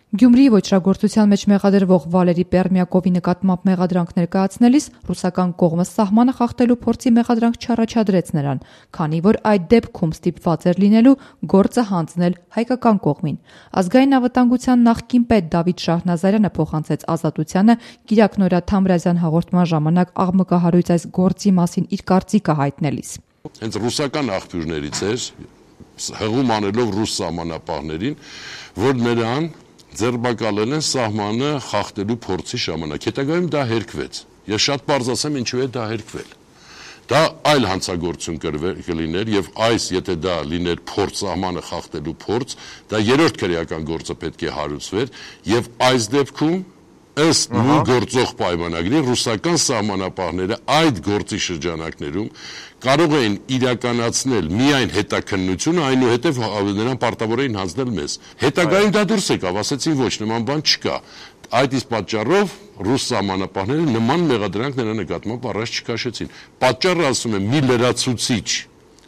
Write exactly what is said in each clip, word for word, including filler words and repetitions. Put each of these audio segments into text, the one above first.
Գյումրիի ոճրագործության մեջ մեղադրվող Վալերի Պերմյակովի նկատմամբ մեղադրանք ներկայացնելիս ռուսական կողմը սահմանը խախտելու փորձի մեղադրանք չառաջադրեց նրան, քանի որ այդ դեպքում ստիպված էր լինելու գործը հանձնել հայկական կողմին։ Ազգային անվտանգության նախկին պետ Դավիթ Շահնազարյանը փոխանցեց Ազատությանը Կիրակ Նորա Թամրազյան հաղորդման ժամանակ աղմկահարույց այս գործի մասին իր կարծիքը հայտնելիս։ Հենց ռուսական աղբյուրներից էր, հղում անելով ռուս սահմանապահներին, որ նրան ձերբակալել են սահմանը խախտելու փորձի ժամանակ։ Հետագայում դա հերքվեց։ Ես շատ պարզ ասեմ, ինչու է դա հերքվել։ Դա այլ հանցագործություն կլիներ եւ այս, եթե դա լիներ փորձ սահմանը խախտելու փորձ, դա երրորդ քրեական գործը պետք է հարուցվեր եւ այս դեպքում ըստ նույն գործող պայմանագրի ռուսական սահմանապահները այդ գործի շրջանակներում կարող էին իրականացնել միայն հետաքննությունը, այնուհետև նրան պարտավոր էին հանձնել մեզ։ Հետագայում դա դուրս եկավ, ասեցին ոչ, նման բան չկա։ Այդ իսկ պատճառով ռուս սահմանապահները նման մեղադրանք նրա նկատմամբ առաջ չքաշեցին։ Պատճառը, ասում եմ, մի լրացուցիչ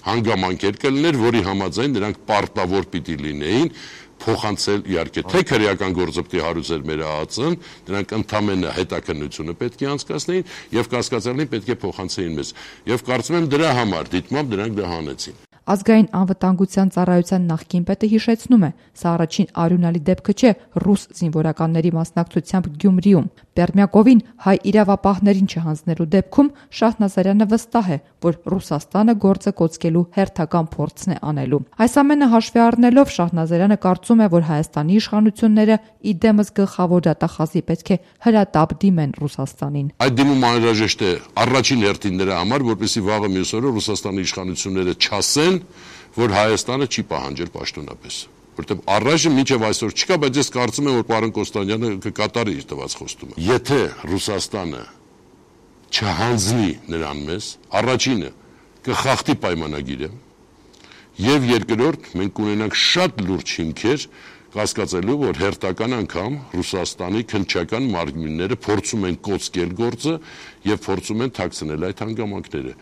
հանգամանքեր կլիներ, որի համաձայն նրանք պարտավոր պիտի լինեին փոխանցել, իհարկե, թե քրեական գործը պետք է հարուցեր մեր ԱԱԾ-ն, նրանք ընդամենը հետաքննությունը պետք է անցկացնեին եւ կասկածալին պետք է փոխանցեին մեզ։ Եվ կարծում եմ դրա համար դիտմամբ դրանք դա հանեցին։ Ազգային անվտանգության ծառայության նախկին պետը հիշեցնում է, սա առաջին արյունալի դեպքը չէ ռուս զինվորականների մասնակցությամբ Գյումրիում։ Պերմյակովին հայ իրավապահներին չհանձնելու դեպքում Շահնազարյանը վստահ է, որ Ռուսաստանը գործը կոծկելու հերթական փորձն է անելու։ Այս ամենը հաշվի առնելով Շահնազարյանը կարծում է, որ Հայաստանի իշխանությունները ի դեմս գլխավոր դատախազի պետք է հրատապ դիմեն Ռուսաստանին։ Այդ դիմումը անհրաժեշտ է առաջին հերթին նրա համար, որպեսզի վաղը մյուս օրը Ռուսաստանի իշխանությունները չասեն, որ Հայաստանը չի պահանջել պաշտոնապես, որտեղ առայժմ մինչև այսօր չկա, բայց ես կարծում եմ, որ պարոն Կոստանյանը կկատարի իր տված խոստումը։ Եթե Ռուսաստանը չհանձնի նրան մեզ, առաջինը կխախտի պայմանագիրը, եւ երկրորդ մենք կունենանք շատ լուրջ հիմքեր կասկածելու, որ հերթական անգամ Ռուսաստանի քննչական մարմինները փորձում են կոծկել գործը եւ փորձում են թաքցնել այդ հանգամանքները։